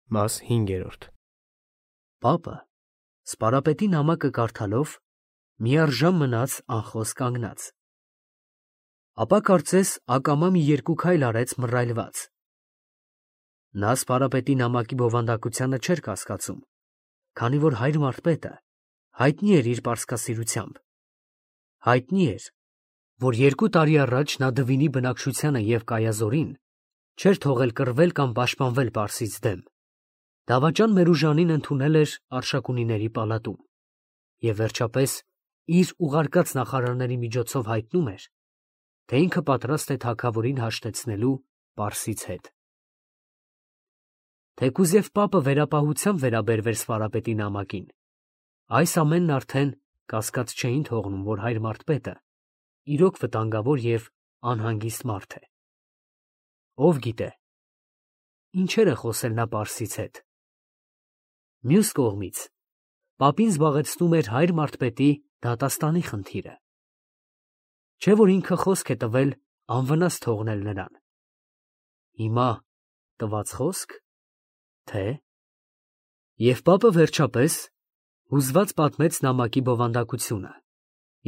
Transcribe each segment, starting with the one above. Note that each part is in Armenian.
Մաս 5. Պապը, սպարապետի նամակը կարդալով, միառժամ մնաց անխոս կանգնած. ապա կարծես ակամա մի երկու քայլ արեց մռայլված. նա սպարապետի նամակի բովանդակությանը չէր կասկածում, քանի որ հայր մարդպետը հայտնի էր իր պարսկասիրությամբ, հայտնի էր, որ 2 տարի առաջ նա Դվինի բնակչությանը և Կայազորին չէր թողել կռվել կամ պաշտպանվել Պարսից դեմ, դավաճան Մերուժանին ընդունել էր Արշակունիների պալատում և վերջապես իր ուղարկած նախարարների միջոցով հայտնում էր, թե ինքը պատրաստ է թագավորին հաշտեցնելու Պարսից հետ։ Թեկուզ և պապը վերապահությամբ վերաբերվեր սպարապետի նամակին, այս ամենն արդեն կասկած չէին թողնում, որ հայր մարդպետը իրոք վտանգավոր և անհանգիստ մարդ է։ Ով գիտե, ինչեր է խոսել նա Պարսից հետ։ Մյուս կողմից, պապին զբաղեցնում էր հայր մարդպետի դատաստանի խնդիրը։ Չէ՞ որ ինքը խոսք է տվել անվնաս թողնել նրան։ Հիմա տված խոսք, թե… Եվ պապը վերջապես հուզված պատմեց նամակի բովանդակությունը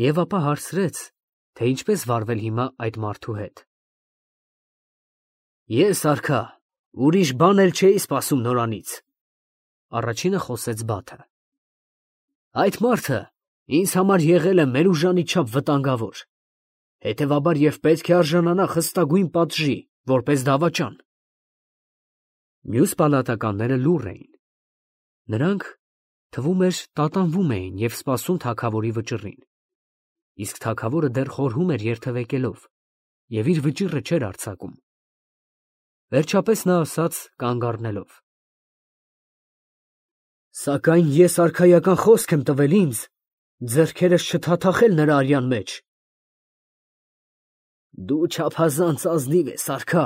և ապա հարցրեց, թե ինչպես վարվել հիմա այդ մարդու հետ։ Ես, արքա, ուրիշ բան էլ չէի սպասում նորանից, առաջինը խոսեց Բաթը։ Այդ մարդը ինձ համար եղել է Մերուժանի չափ վտանգավոր, հետևաբար և պետք է արժանանա խստագույն պատժի, որպես դավաճան։ Մյուս պալատականները լուռ էին. նրանք, թվում էր, տատանվում էին և սպասում թագավորի վճռին, իսկ թագավորը դեռ խորհում էր երթևեկելով և իր վճիռը չէր արձակում։ Վերջապես նա ասաց կանգ առնելով. Սակայն ես արքայական խոսք եմ տվել ինձ ձեռքերս չթաթախել նրա արյան մեջ։ Դու չափազանց ազնիվ ես, արքա,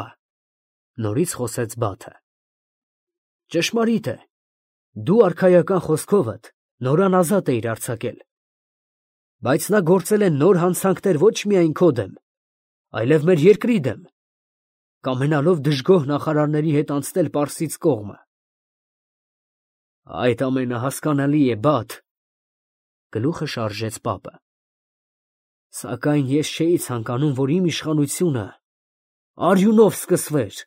նորից խոսեց Բաթը։ Ճշմարիտ է, դու արքայական խոսքովդ նորան ազատ էիր արձակել, բայց նա գործել է նոր հանցանքներ ոչ միայն քո դեմ, այլև մեր երկրի դեմ, կամենալով դժգոհ նախարարների հետ անցնել Պարսից կողմը։ Այդ ամենը հասկանալի է, Բաթ, գլուխը շարժեց պապը։ Սակայն ես չէի ցանկանում, որ իմ իշխանությունը արյունով սկսվեր։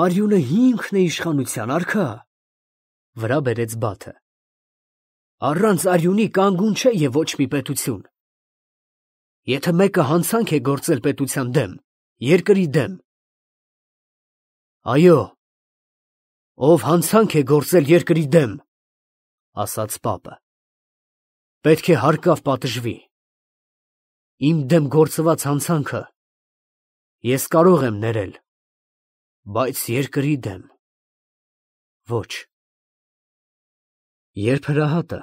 Արյունը հիմքն է իշխանության, արքա, վրա բերեց Բաթը։ Առանց արյունի կանգուն չէ և ոչ մի պետություն։ Եթե մեկը հանցանք է գործել պետության դեմ, երկրի դեմ։ Այո, ով հանցանք է գործել երկրի դեմ, ասաց պապը, պետք է հարկավ պատժվի։ Իմ դեմ գործված հանցանքը ես կարող եմ ներել, բայց երկրի դեմ ոչ։ Երբ հրահատը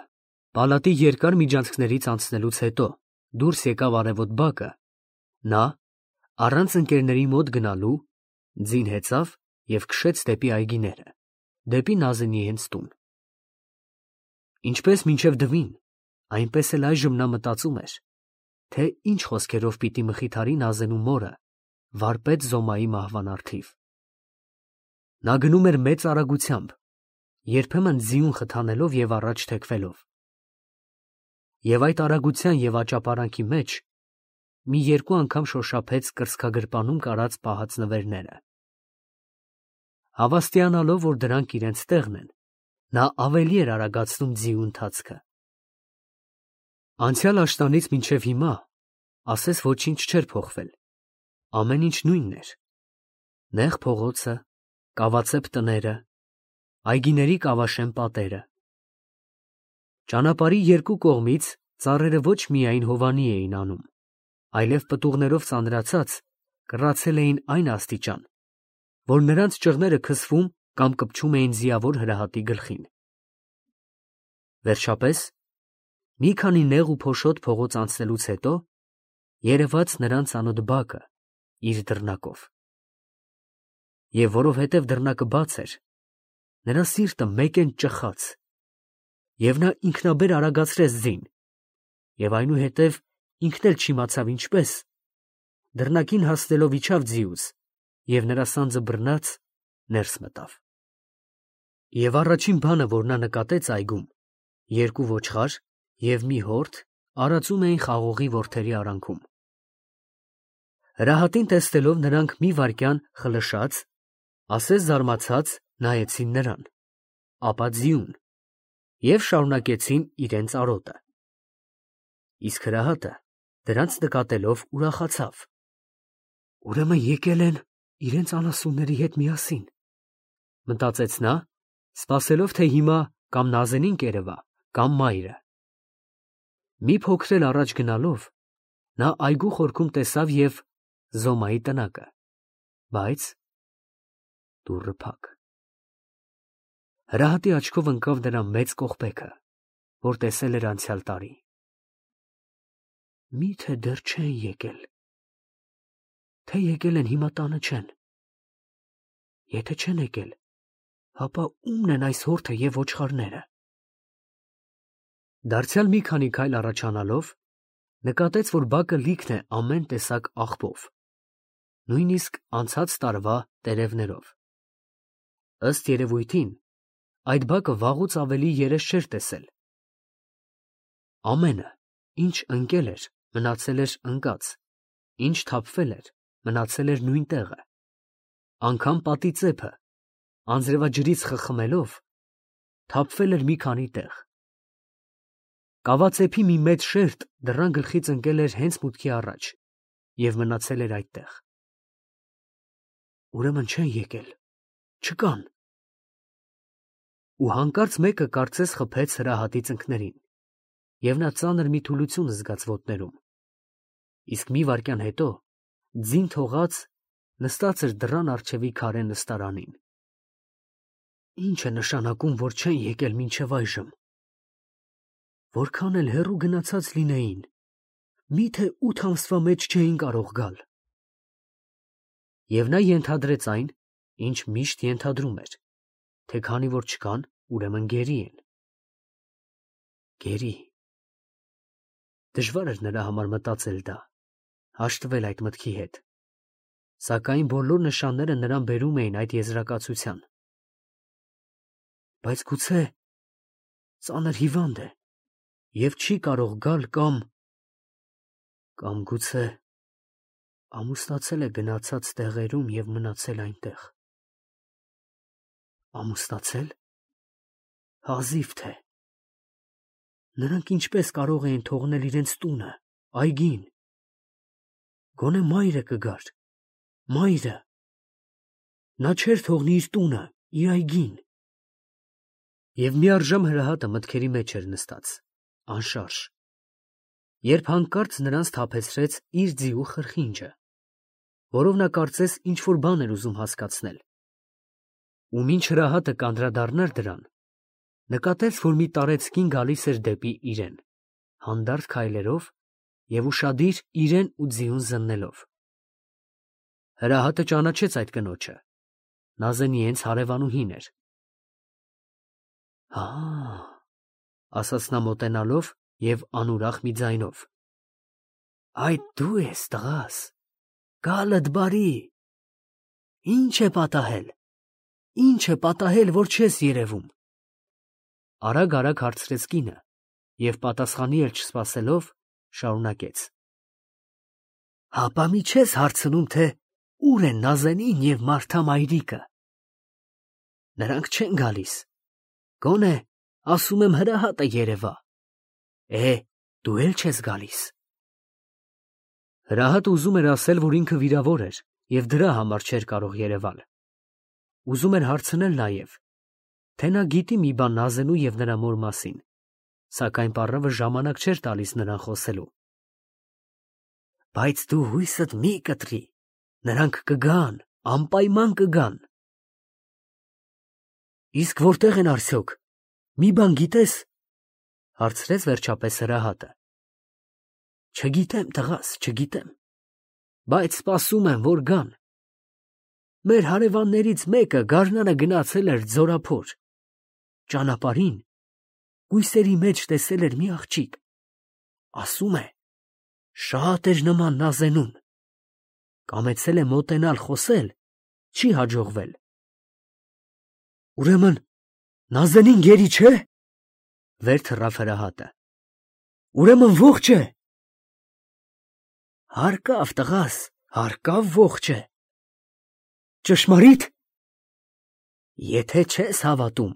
պալատի երկար միջանցքներից անցնելուց հետո դուրս եկավ արևոտ բակը, նա, առանց ընկերների մոտ գնալու, ձին հեծավ և քշեց դեպի այգիները, դեպի Նազենի հենց տուն։ Ինչպես մինչև Դվին, այնպես էլ այժմ նա մտածում էր, թե ինչ խոսքերով պիտի մխիթարի Նազենու մորը վարպետ Զոմայի մահվան առթիվ։ Նա գնում էր մեծ արագությամբ, երբեմն ձիուն խթանելով և առաջ թեքվելով։ Եվ այդ արագության և աճապարանքի մեջ մի երկու անգամ շոշափեց կրծքագրպանում կարած պահած նվերները։ Հավաստիանալով, որ դրանք իրենց տեղն են, նա ավելի էր արագացնում ձիու ընթացքը։ Անցյալ աշտանից մինչև հիմա, ասես ոչինչ չէր փոխվել, ամեն ինչ նույնն էր. նեղ փողոցը, կավացեպ տները, այգիների կավաշեն պատերը։ Ճանապարհի երկու կողմից ծառերը ոչ միայն հովանի էին անում, այլև պտուղներով ծանրացած կռացել էին այն աստիճան, որ նրանց ճղները քսվում կամ կպչում էին ձիավոր հրահատի գլխին։ Վերջապես, մի քանի նեղ ու փոշոտ փողոց անցնելուց հետո, երևաց նրան ծանոթ բակը իր դռնակով։ Եվ որովհետև դռնակը բաց էր, նրա սիրտը մեկեն ճխաց, և նա ինքնաբեր արագացրեց ձին, և այնուհետև ինքն էլ չիմացավ ինչպես, դռնակին հասնելով իջավ ձիուց և նրա սանձը բռնած ներս մտավ։ Եվ առաջին բանը, որ նա նկատեց այգում, երկու ոչխար և մի հորթ արածում էին խաղողի որդերի արանքում։ Հրահատին տեսնելով նրանք մի վայրկյան խլշած, ասես զարմացած նայեցին նրան, ապա ձիուն և շարունակեցին իրենց արոտը։ Իսկ հրահատը դրանց նկատելով ուրախացավ. «Ուրեմն եկել են իրենց անասունների հետ միասին», մտածեց նա, սպասելով, թե հիմա կամ Նազենին կերևա, կամ մայրը։ Մի փոքր էլ առաջ գնալով, նա այգու խորքում տեսավ և Զոմայի տնակը, բայց դուռը փակ։ Հրահատի աչքով ընկավ նրա մեծ կողպեքը, որ տեսել էր անցյալ տարի։ Մի՞թե դեռ չեն եկել, թե եկել են հիմա տանը չեն։ Եթե չեն եկել, ապա ո՞ւմն են այս հորթը և ոչխարները։ Դարձյալ մի քանի քայլ առաջանալով, նկատեց, որ բակը լիքն է ամեն տեսակ աղբով, նույնիսկ անցած տարվա տերևներով։ Ըստ երևույթին, այդ բակը վաղուց ավելի երես չէր տեսել։ Ամենը, ինչ ընկել էր, մնացել էր ընկած, ինչ թափվել էր, մնացել էր նույն տեղը, անգամ պատի ծեփը, անձրևաջրից խխմելով, թափվել էր մի քանի տեղ։ Կավածեփի մի մեծ շերտ դռան գլխից ընկել էր հենց մուտքի առաջ և մնացել էր այդտեղ։ Ուրեմն չեն եկել, չկան։ Ու հանկարծ մեկը կարծես խփեց Հրահատի ծնկներին, և նա ծանր մի թուլություն զգաց ոտներում, իսկ մի վայրկյան հետո ձին թողած նստած էր դռան առջևի քարե նստարանին։ Ի՞նչ է նշանակում, որ չեն եկել մինչև այժմ։ Որքան էլ հեռու գնացած լինեին, միթե 8 ամսվա մեջ չէին կարող գալ։ Եվ նա ենթադրեց այն, ինչ միշտ ենթադրում էր, թե քանի որ չկան, ուրեմն գերի են։ Գերի։ Դժվար էր նրա համար մտածել դա, հաշտվել այդ մտքի հետ, սակայն բոլոր նշանները նրան բերում էին այդ եզրակացության։ Բայց գուցե ծանր հիվանդ է և չի կարող գալ կամ գուցե ամուսնացել է գնացած տեղերում և մնացել այնտեղ։ Ամուսնացել։ Հազիվ թե։ Նրանք ինչպես կարող էին թողնել իրենց տունը, այգին։ Գոնե մայրը կգար, մայրը։ Նա չէր թողնի իր տունը, իր այգին։ Եվ միառժամ Հրահատը մտքերի մեջ էր նստած, անշարժ, երբ հանկարծ նրանց սթափեցրեց իր ձիու խրխինջը, որով նա կարծես ինչ-որ բան էր ուզում հասկացնել։ Ու մինչ Հրահատը կանդրադառնար դրան, նկատեց, որ մի տարեցկին գալիս էր դեպի իրեն, հանդարտ քայլերով և ուշադիր իրեն ու ձիուն զննելով։ Հրահատը ճանաչեց այդ կնոջը, Նազենի հենց հարևանուհին էր։ Հա, ասաց նա մոտենալով և անուրախ մի ձայնով. Այդ դու ես, տղաս, գալդ բարի։ Ինչ է պատահել, որ չես երևում։ Արագ հարցրեց կինը և պատասխանի էլ չսպասելով, շարունակեց. Հապա մի չես հարցնում, թե ուր են Նազենին և Մարթա մայրիկը։ Նրանք չեն գալիս, գոնե ասում եմ Հրահատը երևա։ Դու էլ չես գալիս։ Հրահատը ուզում էր ասել, որ ինքը վիրավոր էր և դրա համար չէր կարող երևալ։ Ուզում էր հարցնել նաև, թե նա գիտի մի բան Նազենու և նրա մոր մասին, սակայն պառավը ժամանակ չէր տալիս նրան խոսելու։ Բայց դու հույսդ մի կտրի, նրանք կգան, անպայման կգան։ Իսկ որտե՞ղ են արդյոք, մի բան գիտես, հարցրեց վերջապես Հրահատը։ Չգիտեմ, տղաս, չգիտեմ, բայց սպասում եմ, որ գան։ Մեր հարևաններից մեկը գարնանը գնացել էր ձորափոր, ճանապարհին բույսերի մեջ տեսել էր մի աղջիկ, ասում է, շատ էր նման Նազենուն, կամեցել է մոտենալ խոսել, չի հաջողվել։ Ուրեմն Նազենին գերի չէ։ Վեր թռավ հրահատը։ Ուրեմն ողջ է։ Հարկավ տղաս, հարկավ ողջ է։ Ճշմարիտ։ Եթե չես հավատում,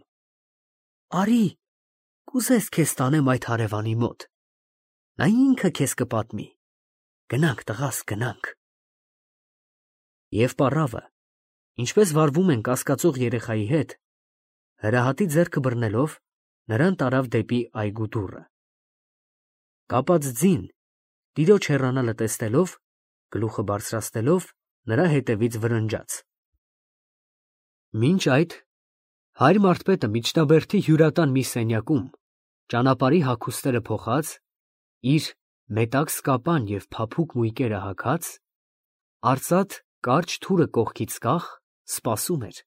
արի, կուզես քեզ տանեմ այդ հարևանի մոտ։ Նա ինքը քեզ կպատմի։ Գնանք տղաս, գնանք։ Եվ պառավը, ինչպես վարվում են կասկածող երեխայի հետ, հրահատի ձեռքը բռնելով, նրան տարավ դեպի այգու դուռը։ Կապած ձին, տիրոջ հեռանալը տեսնելով, գլուխը բարձրացնելով, նրա հետևից վրնջաց։ Մինչ այդ, հայր Մարթպետը միջնաբերդի հյուրատան մի սենյակում, ճանապարհի հագուստերը փոխած, իր մետաքս կապան և փափուկ մույկերը հագած, արծաթ կարճ թուրը կողքից կախ, սպասում էր,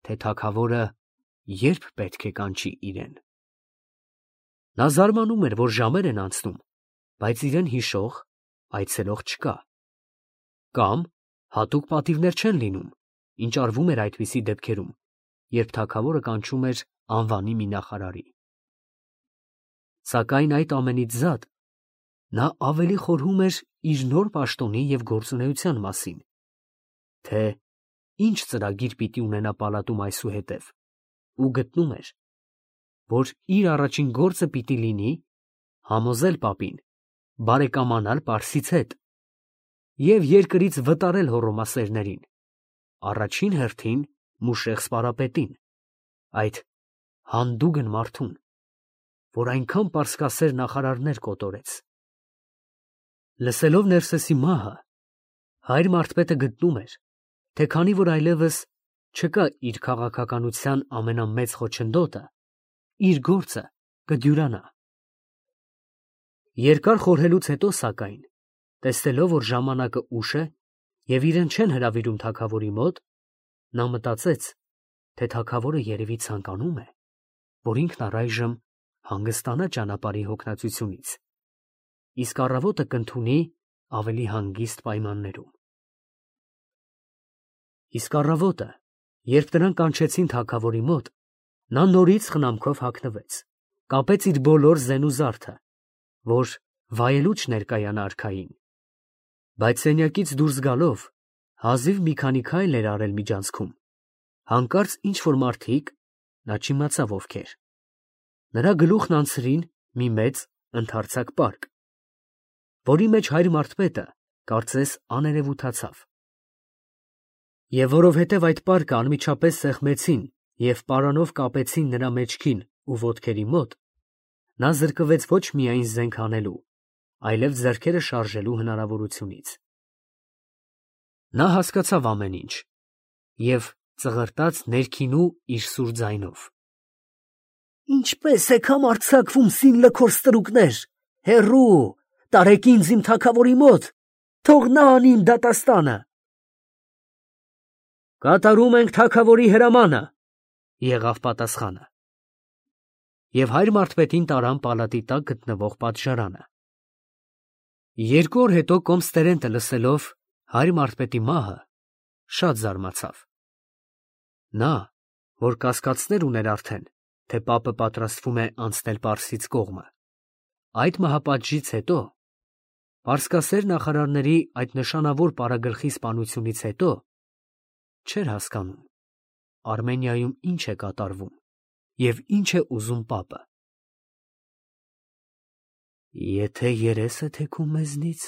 թե թագավորը երբ պետք է կանչի իրեն։ Նա զարմանում էր, որ ժամեր են անցնում, բայց իրեն հիշող, այցելող չկա։ Կամ հատուկ պատիվներ չեն լինում, ինչ արվում էր այդպիսի դեպքերում, երբ թագավորը կանչում էր անվանի մի նախարարի։ Սակայն այդ ամենից զատ, նա ավելի խորհում էր իր նոր պաշտոնի և գործունեության մասին, թե ինչ ծրագիր պիտի ունենա պալատում այսուհետև, ու գտնում էր, որ իր առաջին գործը պիտի լինի համոզել պապին, բարեկամանալ պարսից հետ և երկրից վտարել հոռոմասերներին, առաջին հերթին Մուշեղ սպարապետին, այդ հանդուգն մարդուն, որ այնքան պարսկասեր նախարարներ կոտորեց։ Լսելով Ներսեսի մահը, հայր Մարթպետը գտնում էր, թե քանի որ այլևս չկա իր քաղաքականության ամենամեծ խոչընդոտը, իր գործը կդյուրանա։ Երկար խորհելուց հետո, սակայն, տեսնելով, որ ժամանակը ուշ է և իրեն չեն հրավիրում թագավորի մոտ, նա մտածեց, թե թագավորը երևի ցանկանում է, որ ինքն առայժմ հանգստանա ճանապարհի հոգնածությունից, իսկ առավոտը կընդունի ավելի հանգիստ պայմաններում։ Իսկ առավոտը, երբ նրան կանչեցին թագավորի մոտ, նա նորից խնամքով հագնվեց, կապեց իր բոլոր զենուզարդը, որ վայելուչ ներկայանա արքային, բայց սենյակից դուրս գալով, հազիվ մի քանի քայլ էր արել միջանցքում, հանկարծ ինչ-որ մարդիկ, նա չիմացավ ովքեր, նրա գլուխն անցրին մի մեծ ընդարձակ պարկ, որի մեջ հայր Մարթպետը, կարծես, աներևութացավ։ Եվ որովհետև այդ պարկը անմիջապես սեղմեցին և պարանով կապեցին նրա մեջքին ու ոտքերի մոտ, նա զրկվեց ոչ միայն զենք հանելու, այլև ձեռքերը շարժելու հնարավորությունից։ Նա հասկացավ ամեն ինչ և ծղրտաց ներքինու իր սուր ձայնով. «Ինչպե՞ս եք համարձակվում, սին լքոր ստրուկներ, հեռու, տարեք ինձ իմ թագավորի մոտ, թող նա անի իմ դատաստանը»։ «Կատարում ենք թագավորի հրամանը», եղավ պատասխանը։ Եվ հայր Մարթպետին տարան պալատի տակ գտնվող պատժարանը։ 2 օր հետո կոմս֊տերենտը լսելով հայր Մարթպետի մահը, շատ զարմացավ։ Նա, որ կասկածներ ուներ արդեն, թե պապը պատրաստվում է անցնել պարսից կողմը, այդ մահապատժից հետո, պարսկասեր նախարարների այդ նշանավոր պարագլխի սպանությունից հետո, չէր հասկանում Արմենիայում ինչ է կատարվում և ինչ է ուզում պապը։ Եթե երեսը թեքում մեզնից,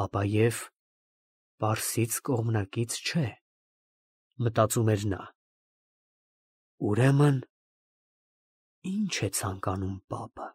ապա և պարսից կողմնակից չէ, մտածում էր նա։ Ուրեմն, ի՞նչ է ցանկանում պապը։